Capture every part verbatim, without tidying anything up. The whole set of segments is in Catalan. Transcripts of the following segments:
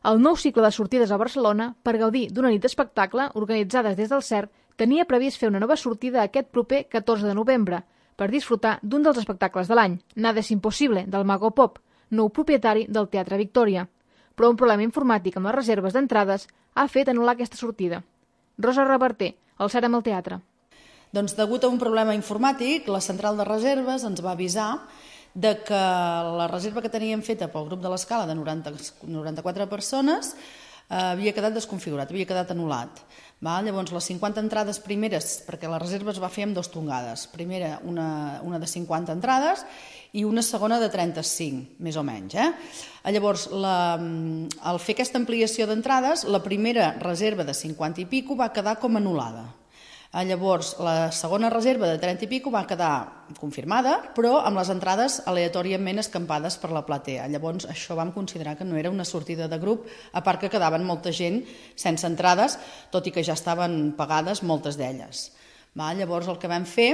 El nou cicle de sortides a Barcelona, per gaudir d'una nit d'espectacle organitzades des del C E R, tenia previst fer una nova sortida aquest proper catorze de novembre per disfrutar d'un dels espectacles de l'any, Nada es imposible, del Mago Pop, nou propietari del Teatre Victòria. Però un problema informàtic amb les reserves d'entrades ha fet anul·lar aquesta sortida. Rosa Reverter, al C E R amb el teatre. Doncs degut a un problema informàtic, la central de reserves ens va avisar de que la reserva que teníem feta pel grup de l'Escala de noranta, noranta-quatre persones eh, havia quedat desconfigurat, havia quedat anul·lat. Val? Llavors, les cinquanta entrades primeres, perquè la reserva es va fer amb dues tongades. Primera, una, una de cinquanta entrades i una segona de trenta-cinc, més o menys. Eh? Llavors, la, al fer aquesta ampliació d'entrades, la primera reserva de cinquanta i pico va quedar com anul·lada. Llavors, la segona reserva de trenta i pico va quedar confirmada, però amb les entrades aleatòriament escampades per la platea. Llavors, això vam considerar que no era una sortida de grup, a part que quedaven molta gent sense entrades, tot i que ja estaven pagades moltes d'elles. Llavors, el que vam fer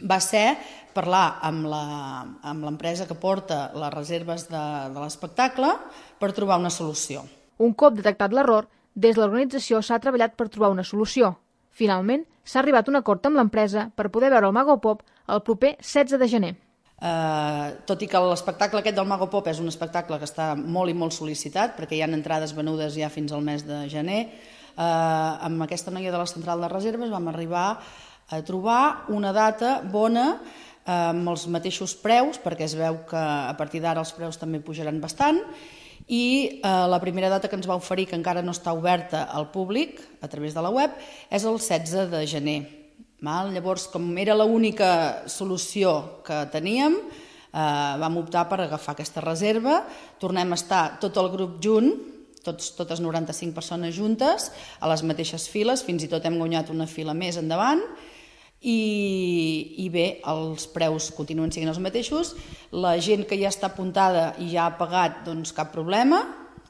va ser parlar amb l'empresa que porta les reserves de, de l'espectacle per trobar una solució. Un cop detectat l'error, des de l'organització s'ha treballat per trobar una solució. Finalment, s'ha arribat a un acord amb l'empresa per poder veure el Mago Pop el proper setze de gener. Eh, tot i que l'espectacle aquest del Mago Pop és un espectacle que està molt i molt sol·licitat, perquè hi ha entrades venudes ja fins al mes de gener, eh, amb aquesta noia de la central de reserves vam arribar a trobar una data bona eh, amb els mateixos preus, perquè es veu que a partir d'ara els preus també pujaran bastant, i eh, la primera data que ens va oferir, que encara no està oberta al públic a través de la web, és el setze de gener. Val? Llavors, com era l'única solució que teníem, eh, vam optar per agafar aquesta reserva. Tornem a estar tot el grup junt, tots, totes noranta-cinc persones juntes, a les mateixes files, fins i tot hem guanyat una fila més endavant, I, i bé, els preus continuen sent els mateixos. La gent que ja està apuntada i ja ha pagat, doncs cap problema,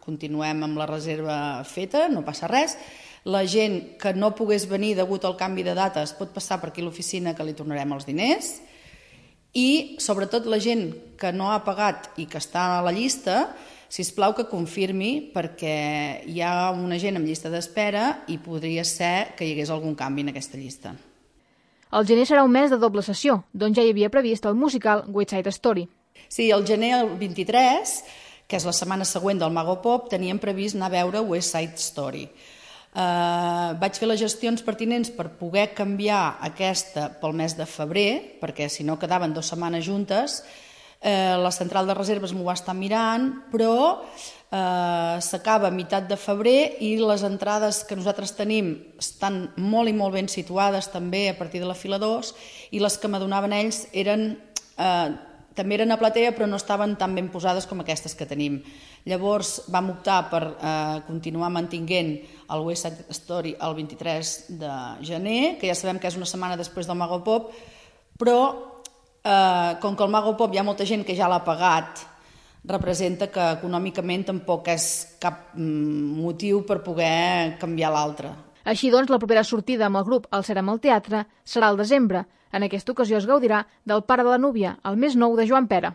continuem amb la reserva feta, no passa res. La gent que no pogués venir degut al canvi de dates pot passar per aquí a l'oficina, que li tornarem els diners. I sobretot la gent que no ha pagat i que està a la llista, sisplau que confirmi, perquè hi ha una gent amb llista d'espera i podria ser que hi hagués algun canvi en aquesta llista. El gener serà un mes de doble sessió, doncs ja hi havia previst el musical West Side Story. Sí, el gener el vint-i-tres, que és la setmana següent del Mago Pop, teníem previst anar a veure West Side Story. Uh, vaig fer les gestions pertinents per poder canviar aquesta pel mes de febrer, perquè si no quedaven dues setmanes juntes. Uh, la central de reserves m'ho va estar mirant, però Uh, s'acaba a meitat de febrer i les entrades que nosaltres tenim estan molt i molt ben situades també a partir de la fila dos, i les que m'adonaven ells eren, uh, també eren a platea però no estaven tan ben posades com aquestes que tenim. Llavors vam optar per uh, continuar mantinguent el West Side Story el vint-i-tres de gener, que ja sabem que és una setmana després del Mago Pop, però uh, com que el Mago Pop hi ha molta gent que ja l'ha pagat, representa que econòmicament tampoc és cap motiu per poder canviar l'altre. Així doncs, la propera sortida amb el grup al C E R amb el teatre serà al desembre. En aquesta ocasió es gaudirà del Pare de la Núvia, el més nou de Joan Pera.